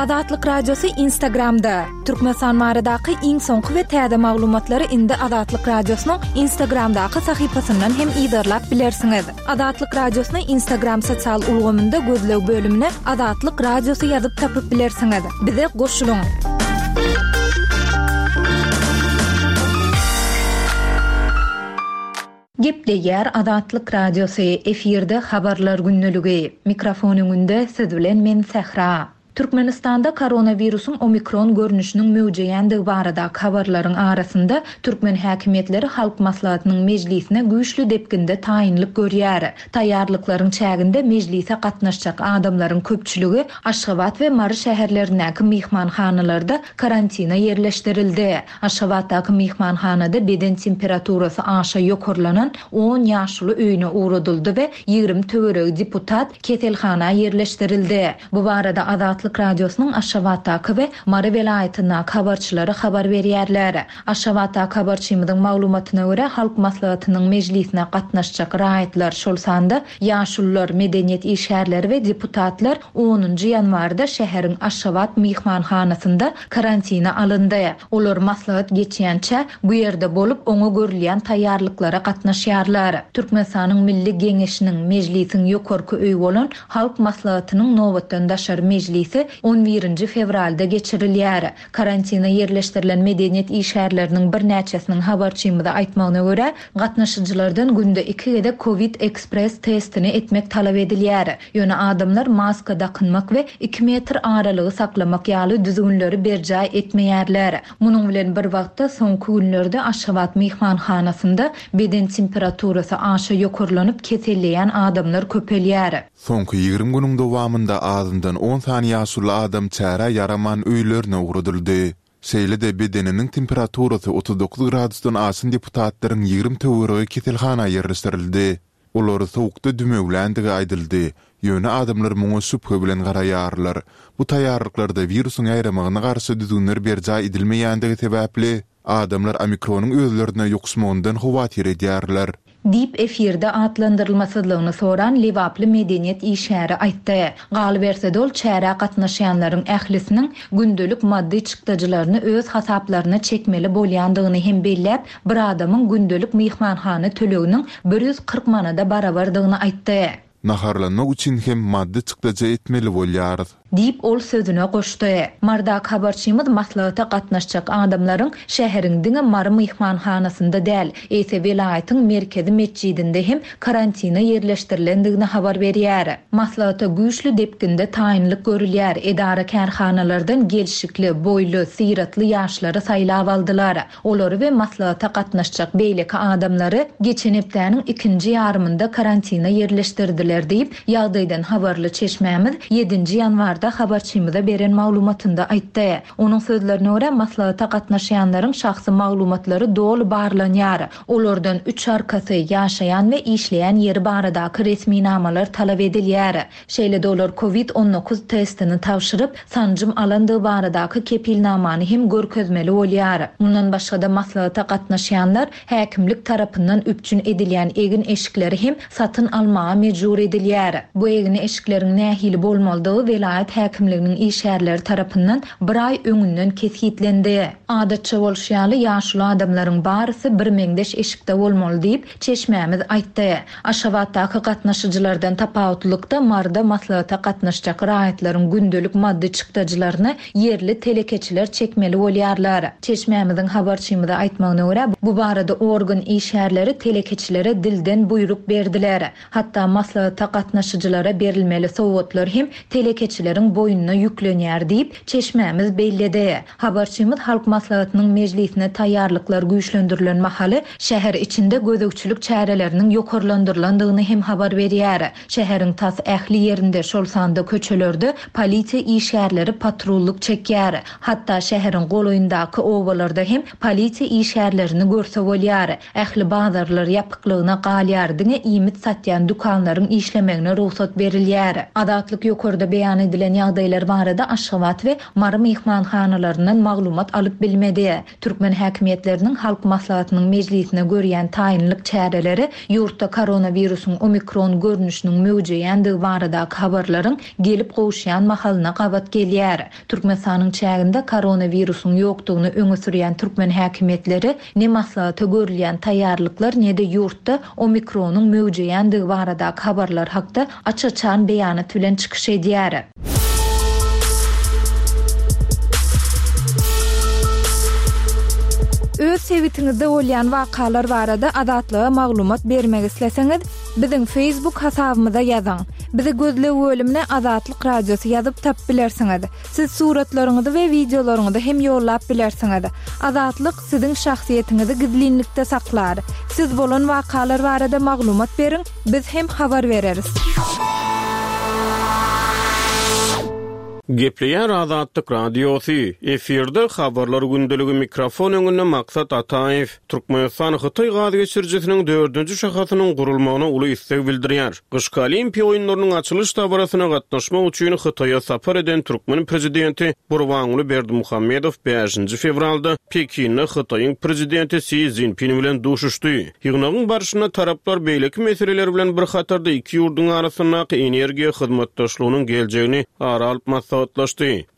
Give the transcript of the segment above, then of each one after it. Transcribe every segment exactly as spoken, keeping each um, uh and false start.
Azatlyk Radiosy Instagramda. Türkmenistan baradaky iň soňky we täze maglumatlary indi Azatlyk Radiosynyň Instagramdaky sahypasyndan hem yzarlap bilersiňiz. Azatlyk Radiosyny Instagram sosial ulgamynda gözleg bölümine Azatlyk Radiosy ýazyp tapyp bilersiňiz. Bize goşulyň. Gepleýär Azatlyk Radiosy, efirde habarlar gündeligi. Mikrofon öňünde siz bilen men Sähra. Türkmenistanda koronawirusyň omikron görnüşiniň möwjeýändigi baradaky habarlaryň arasynda türkmen häkimiýetleri Halk Maslahatynyň mejlisine güýçli depginde taýynlyk görýär. Taýýarlyklaryň çäginde mejlise gatnaşjak adamlaryň köpçüligi Aşgabat we Mary şäherlerindäki myhmanhanalarda karantina ýerleşdirildi. Aşgabatdaky myhmanhanada beden temperaturasy aşa ýokarlanan on ýaşuly öýüne ugradyldy we ýigrimi töweregi deputat keselhana ýerleşdirildi. Bu barada Azatlyk Radiosynyň Aşgabatdaky we Mary welaýatyndaky habarçylary habar berýärler. Aşgabatdaky habarçymyzyň maglumatyna görä, Halk Maslahatynyň mejlisine gatnaşjak raýatlar, şol sanda ýaşulular, medeniýet işgärleri we deputatlar onunjy ýanwarda şäheriň Aşgabat myhmanhanasynda karantina alyndy. Olar maslahat geçýänçä bu ýerde bolup, oňa görülýän taýýarlyklara gatnaşýarlar. Türkmenistanyň Milli Geňeşiniň mejlisiň ýokarky öýi bolan Halk Maslahatynyň nobatdan daşary mejlisi on birinji fewralda geçirilýär. Karantina ýerleşdirilen medeniýet işgärleriniň birnäçesiniň habarçymyza aýtmagyna görä, gatnaşyjylardan günde iki gezek COVID Express testini etmek talap edilýär. Ýöne adamlar maska dakynmak we iki metr aralygy saklamak ýaly düzgünleri berjaý etmeýärler. Munuň bilen bir wagtda soňky günlerde Aşgabat myhmanhanasynda beden temperaturasy aşa ýokarlanyp keselleýän adamlar köpelýär. Soňky ýigrimi günüň dowamynda azyndan on sany ýaşuly adam çärä ýaraman öýlerine ugradyldy. Şeýle-de bedeniniň temperaturasy otuz dokuz gradusdan aşan deputatlaryň ýigrimi töweregi keselhana ýerleşdirildi. Olary sowukda dümewländigi aýdyldy. Ýöne adamlar muňa şübhe bilen garaýarlar. Bu taýýarlyklarda wirusyň ýaýramagyna garşy düzgünler berjaý edilmeýändigi sebäpli adamlar omikronyň özlerine ýokuşmagyndan howatyr edýärler. Diýip efirde atlandyrylmasyzlygyny soran Lebaply medeniýet işgäri aýtdy. Galyberse dol çärä gatnaşýanlaryň ählisiniň gündelik maddy çykdajylaryny öz hasaplaryna çekmeli bolýandygyny hem belläp, bir adamyň gündelik myhmanhana töleginiň bir ýüz kyrk manada barabardygyny aýtdy. Naharlanmak üçin hem maddy çykdajy etmeli bolýarys. Diýip ol sözüne goşdy. Mardak habarçymyz maslahata gatnaşjak adamlaryň şäheriň diňe Mary myhmanhanasynda däl, eýse welaýatyň merkezi metjidinde hem karantina ýerleşdirilendigini habar berýär. Maslahata güýçli depginde taýynlyk görülýär. Edara kärhanalardan gelşikli, boýly, syratly ýaşlary saýlap aldylar. Olary we maslahata gatnaşjak beýleki adamlary geçen hepdäniň ikinji ýarymynda karantina ýerleşdirdiler diýip, ýagdaýdan habarly çeşmämiz ýedinji ýanwarda habarçymyza beren maglumatynda aýtdy. Onuň sözlerine görä, maslahata gatnaşýanlaryň şahsy maglumatlary doly barlanýar. Olardan üç arkasy, ýaşaýan we işleýän ýeri baradaky resminamalar talap edilýär. Şeýle-de olar COVID on dokuz testini tabşyryp, sanjym alandygy baradaky kepilnamany hem görkezmeli bolýar. Mundan başga-da maslahata gatnaşýanlar häkimlik tarapyndan üpjün edilýän egin eşikleri hem satyn almaga mejbur edilýär. Bu egin eşikleriň nähili bolmalydygy welaýat häkimliginiň işgärleri tarapyndan bir aý öňünden kesgitlendi. Adatça bolşy ýaly ýaşuly adamlaryň barysy bir meňzeş eşikde bolmaly diýip çeşmämiz aýtdy. Aşgabatdaky gatnaşyjylardan tapawutlykda Marda maslahata gatnaşjak raýatlaryň gündelik maddy çykdajylaryny ýerli telekeçiler çekmeli bolýarlar. Çeşmämiziň habarçymyza aýtmagyna görä, bu barada organ işgärleri telekeçilere dilden buýruk berdiler. Hatda maslahata gatnaşyjylara berilmeli sowgatlar hem telekeçileriň boýnuna ýüklenýär diýip çeşmämiz belledi. Habarçymyz Halk Maslahatynyň mejlisine taýýarlyklar güýçlendirilen mahaly şäher içinde gözegçilik çäreleriniň ýokarlandyrylandygyny hem habar berýär. Şäheriň tas ähli ýerinde, şol sanda köçelerde polisiýa işgärleri patrullyk çekýär. Hatda şäheriň golaýyndaky obalarda hem polisiýa işgärlerini görse bolýar. Ähli bazarlar ýapyklygyna galýar, diňe iýmit satýan dükanlaryň işlemegine rugsat berilýär. Azatlyk ýokarda beýan edilen edilen ýagdaýlar barada Aşgabat we Mary myhmanhanalaryndan maglumat alyp bilmedi. Türkmen häkimiýetleriniň Halk Maslahatynyň mejlisine görýän taýynlyk çäreleri ýurtda koronawirusyň omikron görnüşiniň möwjeýändigi baradaky habarlaryň gelip gowuşýan mahalyna gabat gelýär. Türkmenistanyň çäginde koronawirusyň ýokdugyny öňe sürýän türkmen häkimiýetleri ne maslahata görülýän taýýarlyklar ne-de ýurtda omikronyň möwjeýändigi baradaky habarlar hakda aç-açan beýanat bilen çykyş edýär. Öz sebitiňizde bolýan wakalar barada Azatlyga maglumat bermek isleseňiz, biziň Facebook hasabymyza ýazyň. Bizi gözleg bölümine Azatlyk Radiosy ýazyp tapyp bilersiňiz. Siz suratlaryňyzy we wideolaryňyzy hem ýollap bilersiňiz. Azatlyk siziň şahsyýetiňizi gizlinlikde saklar. Siz bolan wakalar barada maglumat beriň, biz hem habar bereris. Gepleýär Azatlyk Radiosy. Efirde habarlar gündeligi mikrofon öňünde Maksat Ataýew. Türkmenistan Hytaý gaz geçirijisiniň dördünji şahasynyň gurulmagyna uly isleg bildirýär. Gyşky Olimpiýa oýunlarynyň açylyş dabarasyna gatnaşmak üçin Hytaýa sapar eden türkmen prezidenti Gurbanguly Berdimuhamedow bäşinji fewralda Pekinde Hytaýyň prezidenti Si Szinpin bilen duşuşdy. Ýygnagyň barşynda taraplar beýleki meseleler bilen bir hatarda iki ýurduň arasyndaky energiýa hyzmatdaşlygynyň geljegini ara alyp maslahatlaşdy.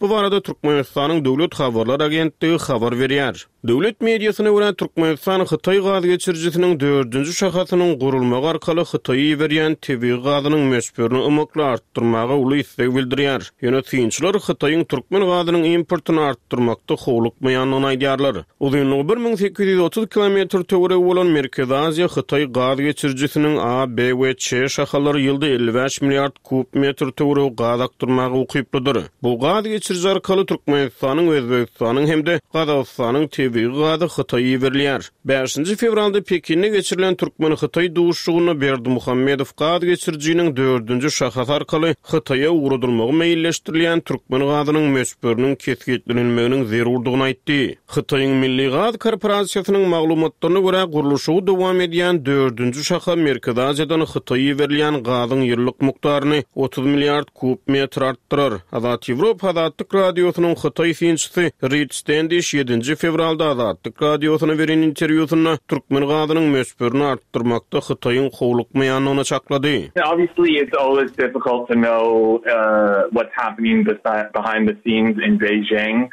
Bu barada Türkmenistanyň Döwlet habarlar agentligi habar berýär. Döwlet mediasyna görä Türkmenistan Hytaý gaz geçirijisiniň dördünji şahasynyň gurulmagy arkaly Hytaýa iberýän tebigy gazynyň möçberini ymykly artdyrmaga uly isleg bildirýär. Ýöne synçylar Hytaýyň türkmen gazynyň importyny artdyrmakda howlukmaýandygyny aýdýarlar. Uzynlygy bir müň sekiz ýüz otuz kilometr töweregi bolan Merkezi Aziýa Hytaý gaz geçirijisiniň A, B we Ç şahalary ýylda elli bäş milliard kub metr töweregi gaz akdyrmaga ukyplydyr. Bu gaz geçiriji arkaly Türkmenistanyň, Özbegistanyň hem-de Gazagystanyň tebigy gazy Hytaýa iberilýär. Bäşinji fewralda Pekinde geçirilen Türkmen-Hytaý duşuşygynda Berdimuhamedow gaz geçirijiniň dördünji şahasy arkaly Hytaýa ugradylmagy meýilleşdirilýän türkmen gazynyň möçberiniň kesgitlenilmeginiň zerurdygyny aýtdy. Hytaýyň Milli Gaz Korporasiýasynyň maglumatlaryna görä gurluşygy dowam edýän dördünji şaha Merkezi Aziýadan Hytaýa iberilýän gazyň ýyllyk mukdaryny otuz milliard kub metr artdyrar. Azat Ýewropa Azatlyk Radiosynyň Hytaý synçysy Rid Stendiş ýedinji fewralda Azatlyk Radiosyna beren interwýusynda türkmen gazynyň möçberini artdyrmakda Hytaýyň howlukmaýandygyny çaklady. Obviously it's always difficult to know, uh, what's happening behind the scenes in Beijing.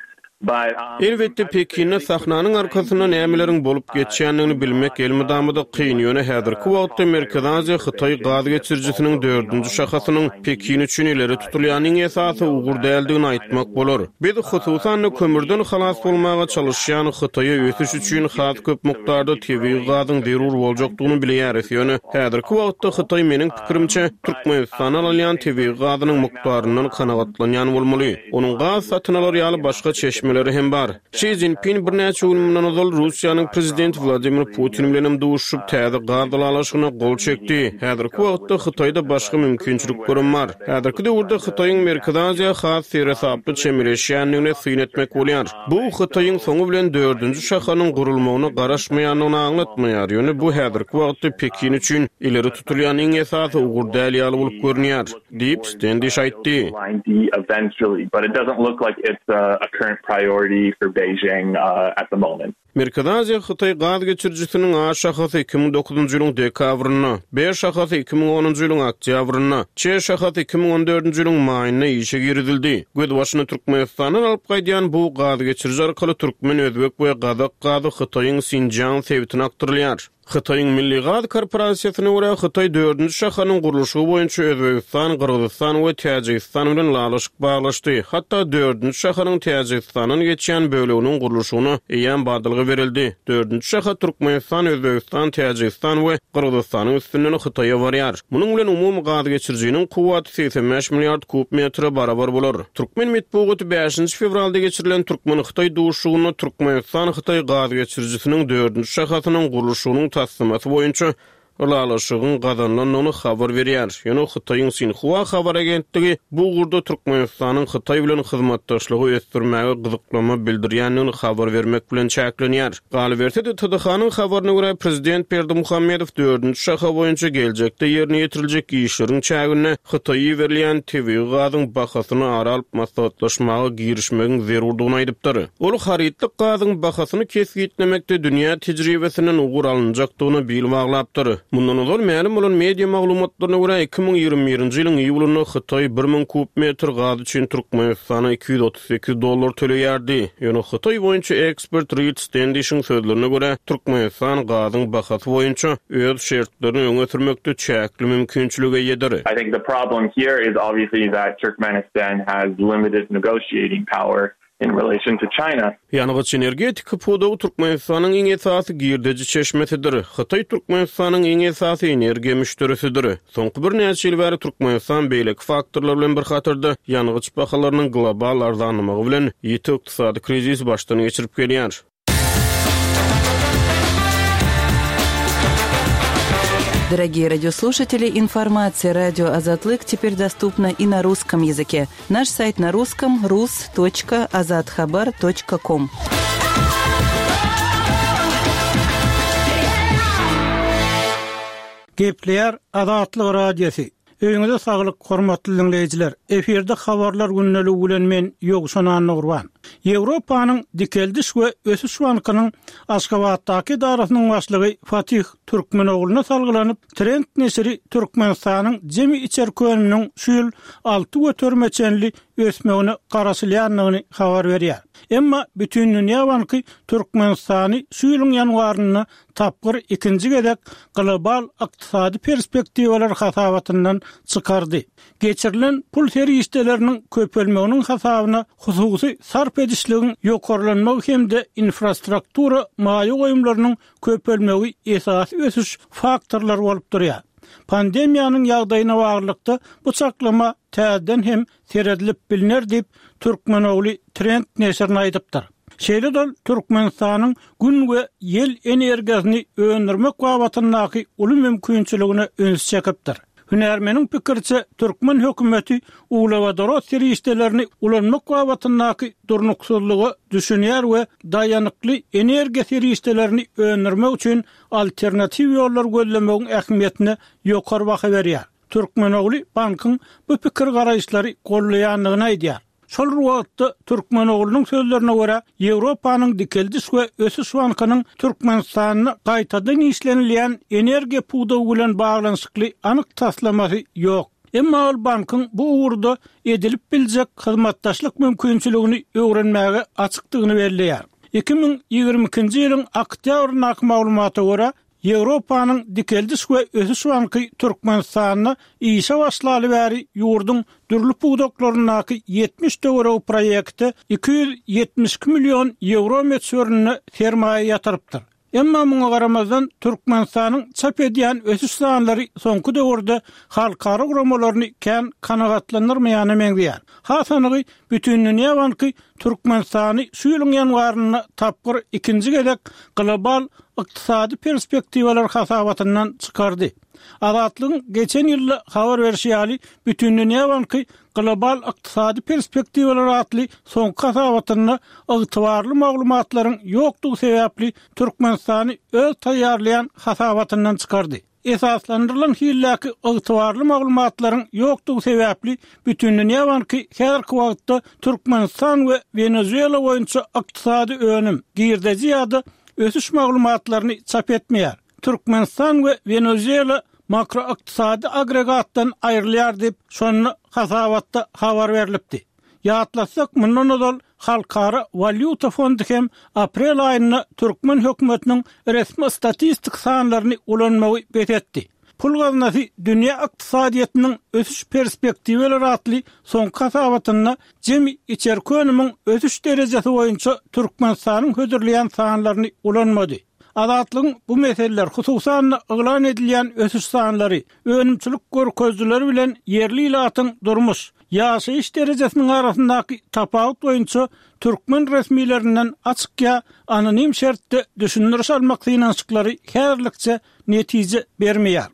Elbetde Pekinde sahnanyň arkasynda nämeleriň bolup geçýändigini bilmek elmydama-da kyn, ýöne häzirki wagtda Merkezi Aziýa Hytaý gaz geçirijisiniň dördünji şahasynyň Pekin üçin ileri tutulýan iň esasy ugur däldigini aýtmak bolar. Biz hususan-da kömürden halas bolmaga çalışýan Hytaýa ösüş üçin has köp mukdarda tebigy gazyň zerur boljakdygyny bilýäris, ýöne häzirki wagtda Hytaý meniň pikirimçe Türkmenistana alynýan tebigy gazynyň mukdaryndan kanagatlanýan bolmaly. Onuň gaz satyn alar ýaly başga çeşmeleri hem bar. Şi Szinpin birnäçe gün mundan ozal Russiýanyň prezidenti Wladimir Putin bilen hem duşup täze gaz ylalaşygyna gol çekdi. Häzirki wagtda Hytaýda başga mümkinçiliklerim bar. Häzirki döwürde Hytaýyň Merkezi Aziýa has seresaply çemeleşýändigine syn etmek bolýar. Bu Hytaýyň soňy bilen dördünji şahanyň gurulmagyna garaşmaýandygyny aňlatmaýar. Ýöne bu häzirki wagtda Pekin üçin ileri tutulýan iň esasy ugur däl ýaly bolup görünýär, diýip Stendiş aýtdy. But it doesn't look like it's a, a current priority for Beijing, uh, at the moment. Merkezi Aziýa Hytaý gaz geçirijisiniň A şahasy iki müň dokuzynjy ýylyň dekabrynda, B şahasy iki müň onunjy ýylyň oktýabrynda, Ç şahasy iki müň on dördünji ýylyň maýynda işe girizildi. Gözbaşyny Türkmenistandan alyp gaýdýan bu gaz geçiriji arkaly türkmen, özbek we gazak gazy Hytaýyň Sinjiang sebitine akdyrylýar. Hytaýyň Milli Gaz Korporasiýasyna görä Hytaý dördünji şahanyň gurluşygy boýunça Özbegistan, Gyrgyzystan we Täjigistan bilen ylalaşyk baglaşdy. Hatda dördünji şahanyň Täjigistandan geçýän böleginiň gurluşygyna eýýäm badalga berildi. Dördünji şaha Türkmenistan, Özbegistan, Täjigistan we Gyrgyzystanyň üstünden Hytaýa barýar. Munuň bilen umumy gaz geçirijiniň kuwwaty segsen bäş milliard kub metre barabar bolar. Türkmen metbugaty bäşinji fewralda geçirilen Türkmen-Hytaý duşuşygynda Türkmenistan-Hytaý gaz geçirijisiniň dördünji şahasynyň gurluşygynyň taslamasy boýunça ylalaşygyň gazanylandygyny habar berýär. Ýöne Hytaýyň Sinhua habar agentligi bu ugurda Türkmenistanyň Hytaý bilen hyzmatdaşlygy ösdürmäge gyzyklama bildirýändigini habar bermek bilen çäklenýär. Galyberse-de T D H-nyň habaryna görä, prezident Berdimuhamedow dördünji şaha boýunça geljekde ýerine ýetiriljek işleriň çäginde Hytaýa berilýän tebigy gazyň bahasyny ara alyp maslahatlaşmaga girişmegiň zerurdygyny aýdypdyr. Ol harytlyk gazyň bahasyny kesgitlemekde dünýä tejribesinden ugur alynjakdygyna bil baglapdyr. Mundan ozal mälim bolan media maglumatlaryna görä, iki müň ýigrimi birinji ýylyň iýulynda Hytaý bir müň kub metr gaz üçin Türkmenistana iki ýüz otuz sekiz dollar töleýärdi. Ýöne Hytaý boýunça ekspert Reed Standish'iň sözlerine görä, Türkmenistan gazyň bahasy boýunça öz şertlerini öňe sürmekde çäkli mümkinçilige eýedir. I think the problem here is obviously that Turkmenistan has limited negotiating power in relation to China. Ýangyç energetika pudagy Türkmenistanyň iň esasy girdeji çeşmesidir. Hytaý Türkmenistanyň iň esasy energiýa müşderisidir. Soňky birnäçe ýyl bäri Türkmenistan beýleki faktorlar bilen bir hatarda ýangyç bahalarynyň global arzanlamagy bilen ýiti ykdysady krizis başdan geçirip gelýär. Дорогие радиослушатели, информация радио Азатлык теперь доступна и на русском языке. Наш сайт на русском rus.azathabar.com. Gepleýär Azatlyk Radiosy. Öýüňize saglyk, hormatly dinleýjiler. Efirde habarlar gündeligi bilen men Ýowşan Annagurban. Ýewropanyň Dikeldiş we Ösüş bankynyň Aşgabatdaky edarasynyň başlygy Fatih Türkmenogluna salgylanyp, Trend neşiri Türkmenistanyň jemi içerki önüminiň şu ýyl alty göterime çenli ösmegine garaşylýandygyny habar berýär. Emma Bütindünýä banky Türkmenistany şu ýylyň ýanwarynda tapgyr ikinji gezek global ykdysady perspektiwalar hasabatyndan çykardy. Geçirilen pul serişdeleriniň köpelmeginiň hasabyna hususy sarp edişligiň ýokarlanmagy hem-de infrastruktura maýa goýumlarynyň köpelmegi esasy ösüş faktorlary bolup durýar. Pandemiýanyň ýagdaýyna baglylykda bu çaklama täzeden hem seredilip bilner diýip Türkmenogly Trend neşirine aýdypdyr. Şeýle-de Türkmenistanyň gün we ýel energiýasyny öndürmek babatyndaky uly mümkinçiligine üns çekipdir. Hünärmeniň pikiriçe, türkmen hökümeti uglewodorod serişdelerini ulanmak babatyndaky durnuksyzlyga düşünýär we daýanykly energiýa serişdelerini öndürmek üçin alternatiw ýollar gözlemegiň ähmiýetine ýokary baha berýär. Türkmenogly bankyň bu pikir garaýyşlary gollaýandygyny aýdýar. Şol wagtda Türkmenoglunyň sözlerine görä, Ýewropanyň Dikeldiş we Ösüş bankynyň Türkmenistanda gaýtadan işlenilýän energiýa pudagy bilen baglanyşykly anyk taslamasy ýok. Emma ol bankyň bu ugurda edilip biljek hyzmatdaşlyk mümkinçiligini öwrenmäge açykdygyny belleýär. iki müň ýigrimi ikinji ýylyň oktýabryndaky maglumata görä, Ýewropanyň Dikeldiş we Ösüş banky Türkmenistanda işe başlaly bäri ýurduň dürli pudaklaryndaky ýetmiş töweregi proýekte iki ýüz ýetmiş iki million ýewro möçberinde sermaýa ýatyrypdyr. Emma muňa garamazdan Türkmenistanyň çap edýän ösüş sanlary soňky döwürde halkara guramalaryny kän kanagatlandyrmaýana meňzeýär. Has anygy, Bütindünýä banky Türkmenistany şu ýylyň ýanwarynda tapgyr ikinji gezek global ykdysady perspektiwalar hasabatyndan çykardy. Azatlygyň geçen ýylda habar berişi ýaly, Bütindünýä banky global ykdysady perspektiwalar atly soňky hasabatynda ygtybarly maglumatlaryň ýokdugy sebäpli Türkmenistany öz taýýarlaýan hasabatyndan çykardy. Esaslandyrylan hildäki ygtybarly maglumatlaryň ýokdugy sebäpli Bütindünýä banky häzirki wagtda Türkmenistan we Wenezuela boýunça ykdysady önüm, girdeji ýa-da ösüş maglumatlaryny çap etmeýär. Türkmenistan we Wenezuela makroykdysady agregatdan aýrylýar diýip, şonda hasabatda habar berilipdi. Ýatlasak, mundan ozal Halkara Walýuta fondy hem aprel aýynda türkmen hökümetiniň resmi statistik sanlaryny ulanmagy bes etdi. Pul gaznasy dünýä ykdysadyýetiniň ösüş perspektiwalar atly soňky hasabatynda jemi içerki önümiň ösüş derejesi boýunça Türkmenistanyň hödürleýän sanlaryny ulanmady. Azatlygyň bu meseleler, hususan-da yglan edilýän ösüş sanlary, önümçilik görkezijileri bilen ýerli ilatyň durmuş, ýaşaýyş derejesiniň arasyndaky tapawut boýunça türkmen resmilerinden açyk ýa anonim şertde düşündiriş almak synanyşyklary häzirlikçe netije bermeýär.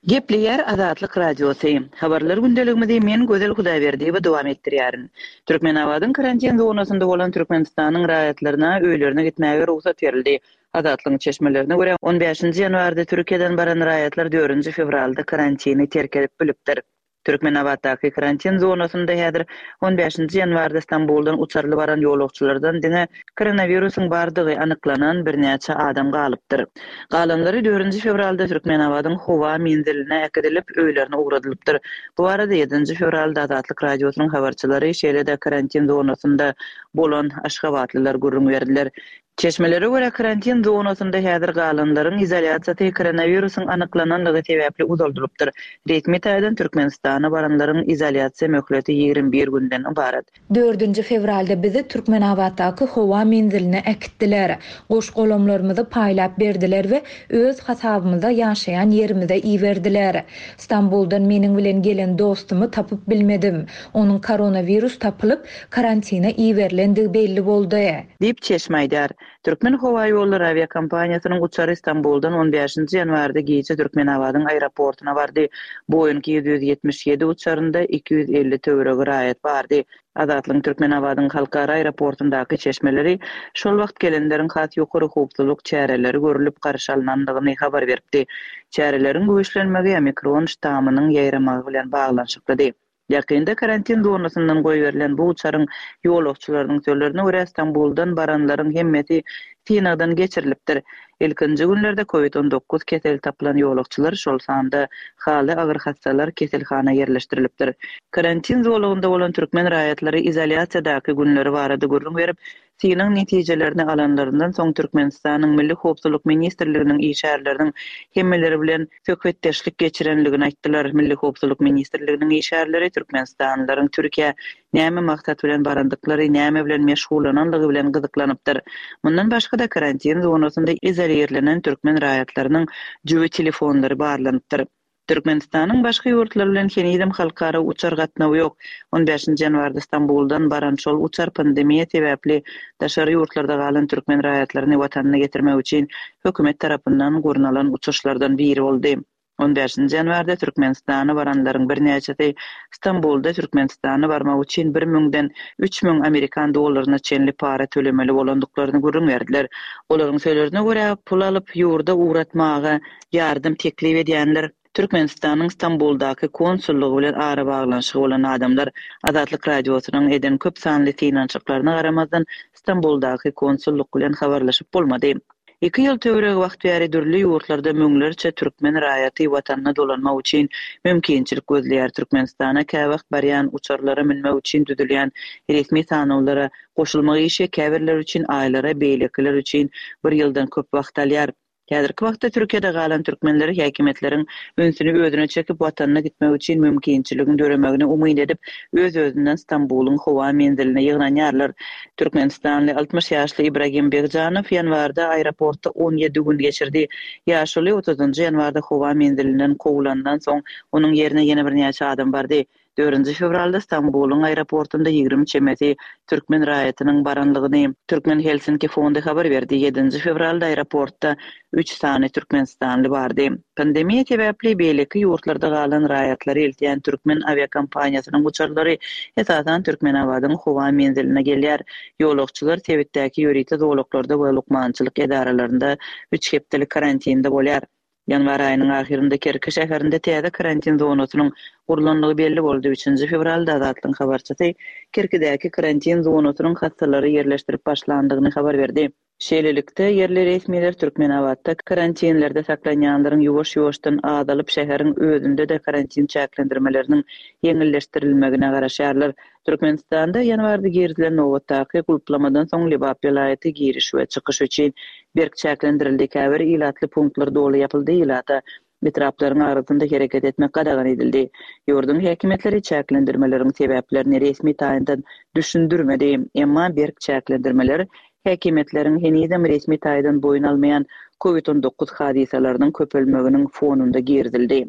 Gepleýär Azatlyk Radiosy. Habarlar gündeligimizi men Gözel Hudaýberdiýewa dowam etdirýärin. Türkmenabadyň karantin zonasynda bolan Türkmenistanyň raýatlaryna öýlerine gitmäge rugsat berildi. Azatlygyň çeşmelerine görä, on bäşinji ýanwarda Türkiýeden baran raýatlar dördünji fewralda karantini terk edip bilipdir. Türkmenabatdaky karantin zonasynda häzir on bäşinji ýanwarda Stambuldan uçarly baran ýolagçylardan diňe koronawirusyň bardygy anyklanan birnäçe adam galypdyr. Galanlary dördünji fewralda Türkmenabadyň howa menziline äkidilip, öýlerine ugradylypdyr. Bu barada ýedinji fewralda Azatlyk Radiosynyň habarçylary, şeýle-de karantin zonasynda bolan aşgabatlylar gürrüň berdiler. Çeşmelere görä, karantin zonasynda häzir galanlaryň izolýasiýasy koronawirusyň anyklananlygy sebäpli uzaldylypdyr. Resmi taýdan Türkmenistana baranlaryň izolýasiýa möhleti ýigrimi bir günden ybarat. Dördünji fewralda bizi Türkmenabatdaky howa menziline äkitdiler. Goş-golamlarymyzy paýlap berdiler we öz hasabymyza ýaşaýan ýerimize iberdiler. Stambuldan meniň bilen gelen dostumy tapyp bilmedim. Onuň koronawirus tapylyp, karantina iberilendigi belli boldy. Diýip çeşme aýdar. Türkmen howa ýollary awiakompaniýasynyň uçary Stambuldan on bäşinji ýanwarda gije Türkmenabadyň aeroportuna bardy. Boeing ýedi ýüz ýetmiş ýedi uçarynda iki ýüz elli töweregi raýat bardy. Azatlygyň Türkmenabadyň halkara aeroportundaky çeşmeleri şol wagt gelenleriň has ýokary howpsuzlyk çäreleri görülip garşy alynandygyny habar beripdi. Çäreleriň güýçlenmegi Omikron ştamynyň ýaýramagy bilen baglanyşyklydy. Ýakynda karantin zonasyndan goýberilen bu uçaryň ýolagçylarynyň sözlerine görä Stambuldan baranlaryň hemmesi synagdan geçirilipdir. Ilkinji günlerde kovid on dokuz keseli tapylan ýolagçylar, şol sanda haly agyr hassalar keselhana ýerleşdirilipdir. Karantin zolagynda bolan türkmen raýatlary izolýasiýadaky günleri barada gürrüň berip, synag netijelerini alanlaryndan soň Türkmenistanyň Milli Howpsuzlyk Ministrliginiň işgärleriniň hemmeleri bilen söhbetdeşlik geçirenligini aýtdylar. Milli Howpsuzlyk Ministrliginiň işgärleri Türkmenistanlylaryň Türkiýä näme maksat bilen barandyklary, näme bilen meşgullananlygy bilen gyzyklanypdyr. Mundan başga-da karantin zonasynda izolirlenen türkmen raýatlarynyň jübi telefonlary barlanypdyr. Türkmenistanyň başga ýurtlary bilen henizem halkara uçar gatnawy ýok. on bäşinji ýanwarda Stambuldan baran şol uçar pandemiýa sebäpli daşary ýurtlarda galan türkmen raýatlaryny watanyna getirmek üçin hökümet tarapyndan gurnalan uçuşlardan biri boldy. on bäşinji ýanwarda Türkmenistana baranlaryň birnäçesi Stambulda Türkmenistana barmak üçin bir müňden üç müň amerikan dollaryna çenli para tölemeli bolandyklaryny gürrüň berdiler. Olaryň sözlerine görä, pul alyp ýurda ugratmaga ýardam teklip edýänler Türkmenistanyň Stambuldaky konsullygy bilen arabaglanyşygy bolan adamlar Azatlyk Radiosynyň eden köp sanly synanyşyklaryna garamazdan Stambuldaky konsullyk bilen habarlaşyp bolmady. Iki ýyl töweregi wagt bäri dürli ýurtlarda müňlerçe türkmen raýaty watanyna dolanmak üçin mümkinçilik gözleýär. Türkmenistana käwagt barýan uçarlara münmek üçin düzülýän resmi sanawlara goşulmak işi käbirler üçin aýlara, beýlekiler üçin bir ýyldan köp wagt alýar. Häzirki wagtda Türkiýede galan türkmenleri häkimiýetleriň ünsüni özüne çekip watanyna gitmek üçin mümkinçiligiň döremegini umyt edip, öz-özünden Stambulyň howa menziline ýygnanýarlar. Türkmenistanly altmyş ýaşly Ibragim Begjanow ýanwarda aeroportda on ýedi gün geçirdi. Ýaşuly otuzynjy ýanwarda howa menzilinden kowulandan soň onuň ýerine ýene birnäçe adam bardy. Dördünji fewralda Stambulyň aeroportunda ýigrimi çemesi türkmen raýatynyň baranlygyny Türkmen Helsinki fondy habar berdi. Ýedinji fewralda aeroportda üç sany türkmenistanly bardy. Pandemiýa sebäpli beýleki ýurtlarda galan raýatlary eltýän türkmen awiakompaniýasynyň uçarlary esasan Türkmenabadyň howa menziline gelýär. Ýolagçylar sebitdäki ýörite zolaklarda we lukmançylyk edaralarynda üç hepdelik karantinde bolýar. Ýanwar aýynyň ahyrynda Kerki şäherinde täze karantin zonasynyň gurlanlygy belli boldy. Üçünji fewralda Azatlygyň habarçysy Kerkidäki karantin zonasynyň hassalary ýerleşdirip başlandygyny habar berdi. Şeýlelikde, ýerli resmiler Türkmenabatda karantinlerde saklanýanlaryň ýuwaş-ýuwaşdan azalyp şäheriň özünde-de karantin çäklendirmeleriniň ýeňilleşdirilmegine garaşýarlar. Türkmenistanda ýanwarda girizilen nobatdaky gulplamadan soň Lebap welaýaty giriş we çykyş üçin berk çäklendirildi. Käbir ilatly punktlar doly ýapyldy, ilata etraplaryň arasynda hereket etmek gadagan edildi. Ýurduň häkimiýetleri çäklendirmeleriň sebäplerini resmi taýyndan düşündirmedi. Emma berk çäklendirmeler häkimiýetleriň henizem resmi taýdan boýun almaýan Covid on dokuz hadysalarynyň köpelmeginiň fonunda girizildi.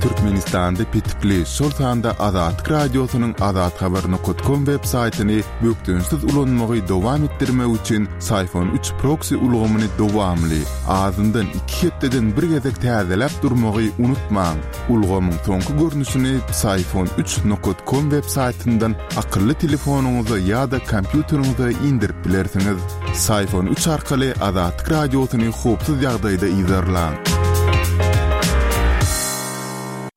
Türkmenistanda petikli, şol sanda Azatlyk Radiosynyň azathabar nokta com web saýtyny bökdençsiz ulanmagy dowam etdirmek üçin Syfon üç proksi ulgamyny dowamly, azyndan iki hepdeden bir gezek täzeläp durmagy unutmaň. Ulgamyň soňky görnüşini Syfon üç nokta com web saýtyndan akylly telefonyňyza ýa-da kompýuteriňize indirip bilersiňiz. Syfon üç arkaly Azatlyk Radiosyny howpsuz ýagdaýda yzarlaň.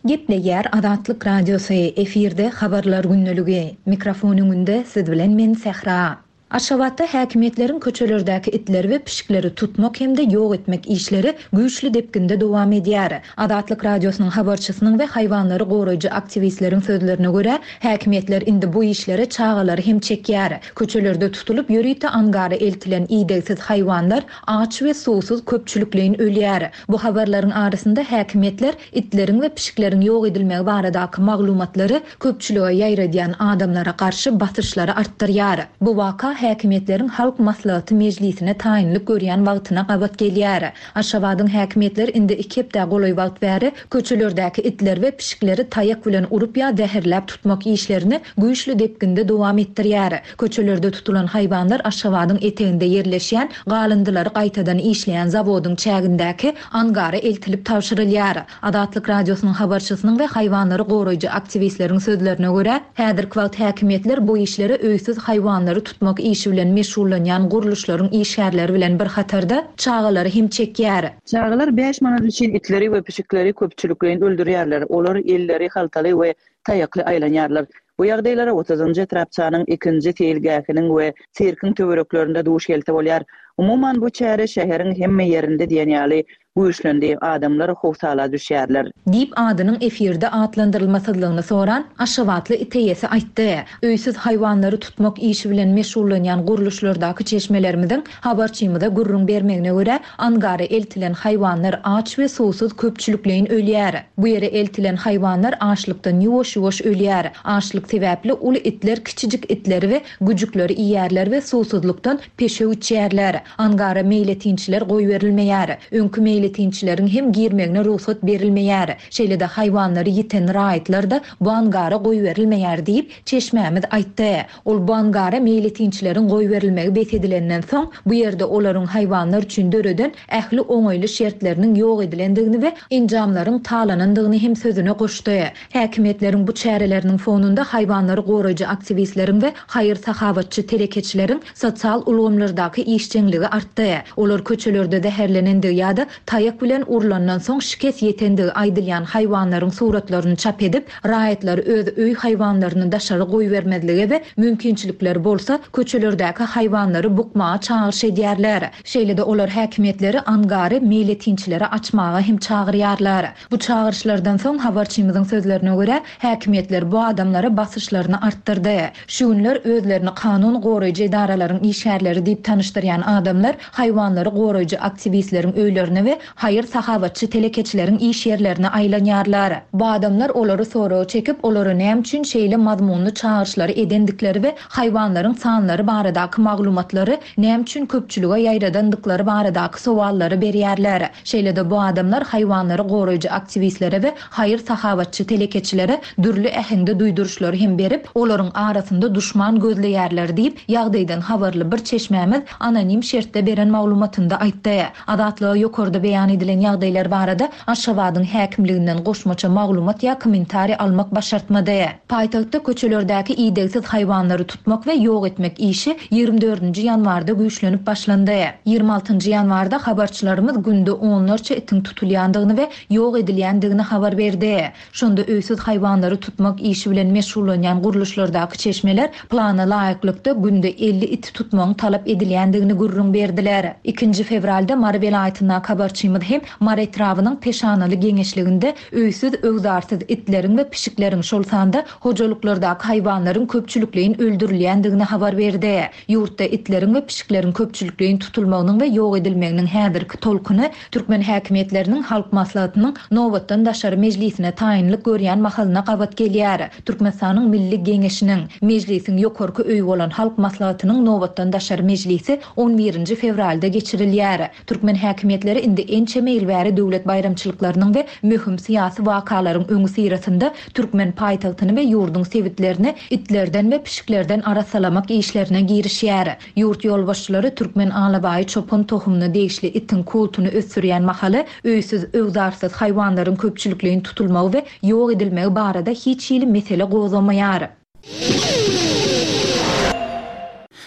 Gepleýär Azatlyk Radiosy, efirde habarlar gündeligi. Mikrofon öňünde siz bilen men Sähra. Aşgabatda häkimiýetleriň köçelerdäki itleri we pişikleri tutmak hem-de ýok etmek işleri güýçli depginde dowam edýär. Azatlyk Radiosynyň habarçysynyň we haýwanlary goraýjy aktiwistleriň sözlerine görä, häkimiýetler indi bu işlere çagalary hem çekýär. Köçelerde tutulyp ýörite angara eltilen idegsiz haýwanlar aç we suwsuz köpçülikleýin ölýär. Bu habarlaryň arasynda häkimiýetler itleriň we pişikleriň ýok edilmegi baradaky maglumatlary köpçülige ýaýradýan adamlara garşy basyşlary artdyrýar. Bu waka häkimiýetleriň Halk Maslahaty mejlisine taýynlyk görýän wagtyna gabat gelýär. Aşgabadyň häkimiýetleri indi iki hepde golaý wagt bäri köçelerdäki itler we pişikleri taýak bilen urup ýa zäherläp tutmak işlerini güýçli depginde dowam etdirýär. Köçelerde tutulan haýwanlar Aşgabadyň eteginde ýerleşýän galyndylary gaýtadan işleýän zawodyň çägindäki angara eltilip tabşyrylýar. Azatlyk Radiosynyň habarçysynyň we haýwanlary goraýjy aktiwistleriň sözlerine görä, häzirki wagt häkimiýetler bu işlere öýsüz haýwanlary tutmak işi bilen meşgullanýan gurluşlaryň işgärleri bilen bir hatarda çagalary hem çekýär. Çagalar bäş manat üçin itleri we pişikleri köpçülikleýin öldürýärler. Olar elleri haltaly we taýakly aýlanýarlar. Bu ýagdaýlara otuzynjy etrapçanyň ikinji seýilgähiniň we sirkiň töwereklerinde duş gelse bolýar. Umuman bu çäre şäheriň hemme ýerinde diýen ýaly güýçlendi, adamlar howsala düşýärler. Diýip adynyň efirde atlandyrylmasyzlygyny soran Aşgabatly it eýesi aýtdy. Öýsüz haýwanlary tutmak işi bilen meşgullanýan gurluşlardaky çeşmelerimiziň habarçymyza gürrüň bermegine görä, angara eltilen haýwanlar aç we suwsuz köpçülikleýin ölýär. Bu ýere eltilen haýwanlar açlykdan ýuwaş-ýuwaş ölýär. Açlyk sebäpli uly itler kiçijik itleri we güjükleri iýerler we suwsuzlykdan peşew içýärler. Angara meýletinçiler goýberilmeýär. Öňki meýletinçileriň hem girmegine rugsat berilmeýär. Şeýle-de haýwanlary ýiten raýatlar da bu angara goýberilmeýär diýip çeşmämiz aýtdy. Ol bu angara meýletinçileriň goýberilmegi bes edilenden soň bu ýerde olaryň haýwanlar üçin döreden ähli oňaýly şertleriniň ýok edilendigini we enjamlaryň talanandygyny hem sözüne goşdy. Häkimiýetleriň bu çäreleriniň fonunda haýwanlary goraýjy aktiwistleriň we haýyr-sahabatçy telekeçileriň sosial ulgamlardaky işjeňligi artdy. Olar köçelerde zäherlenendigi ýa-da taýak bilen urlandan soň şikes ýetendigi aýdylýan haýwanlaryň suratlaryny çap edip, raýatlar öz öý haýwanlaryny daşary goýbermezlige we mümkinçilikleri bolsa köçelerdäki haýwanlary bukmaga çagyryş edýärler. Şeýle-de olar häkimiýetleri angary meýletinçilere açmaga hem çagyrýarlar. Bu çagyryşlardan soň habarçymyzyň sözlerine görä, häkimiýetler bu adamlara basyşlaryny artdyrdy. Şu günler özlerini kanun goraýjy edaralaryň işgärleri diýip tanyşdyrýan adamlar haýwanlary goraýjy aktiwistleriň öýlerine we haýyr-sahabatçy telekeçileriň iş ýerlerine aýlanýarlar. Bu adamlar olary soraga çekip, olara näme üçin şeýle mazmunly çagyryşlary edendikleri we haýwanlaryň sanlary baradaky maglumatlary näme üçin köpçülige ýaýradandyklary baradaky sowallary berýärler. Şeýle-de bu adamlar haýwanlary goraýjy aktiwistlere we haýyr-sahabatçy telekeçilere dürli äheňde duýduryşlary hem berip, olaryň arasynda duşman gözleýärler diýip, ýagdaýdan habarly bir çeşmämiz anonim şertde beren maglumatynda aýtdy. Azatlyga ýokarda beýan edilen ýagdaýlar barada Aşgabadyň häkimliginden goşmaça maglumat ýa kommentariý almak başartmady. Paýtagtda köçelerdäki idegsiz haýwanlary tutmak we ýok etmek işi ýigrimi dördünji ýanwarda güýçlenip başlandy. Ýigrimi altynjy ýanwarda habarçylarymyz günde onlarça itiň tutulýandygyny we ýok edilýändigini habar berdi. Şonda öýsüz haýwanlary tutmak işi bilen meşgullanýan gurluşlardaky çeşmeler plana laýyklykda günde elli iti tutmagyň talap edilýändigini gürrüň berdiler. Ikinji fewralda Mary welaýatyndaky habarçymyz hem Mary etrabynyň Peşanaly geňeşliginde öýsüz öwzarsyz itleriň we pişikleriň şol sanda hojalyklardaky haýwanlaryň köpçülikleýin öldürilýändigini habar berdi. Ýurtda itleriň we pişikleriň köpçülikleýin tutulmagynyň we ýok edilmeginiň häzirki tolkuny Türkmen häkimiýetleriniň Halk Maslahatynyň nobatdan daşary mejlisine taýynlyk görýän mahalyna gabat gelýär. Türkmenistanyň Milli Geňeşiniň, Mejlisiň ýokarky öýi bolan Halk Maslahatynyň nobatdan daşary mejlisi on birinji fewralda geçirilýär. Türkmen häkimiýetleri indi ençeme ýyl bäri döwlet baýramçylyklarynyň we möhüm syýasy wakalaryň öňüsyrasynda türkmen paýtagtyny we ýurduň sebitlerini itlerden we pişiklerden arassalamak işlerine girişýär. Ýurt ýolbaşçylary türkmen alabaýy çopan tohumyna degişli itiň kultuny ösdürýän mahaly öýsüz-öwzarsyz haýwanlaryň köpçülikleýin tutulmagy we ýok edilmegi barada hiç hili mesele gozgamaýar.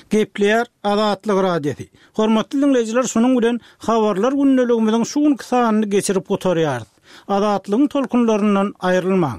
Gepleýär Azatlyk Radiosy. Hormatly diňleýjiler, şunuň bilen Habarlar gündeligimiziň şu günki sanyny geçirip gutarýarys. Azatlygyň tolkunlaryndan aýrylmaň.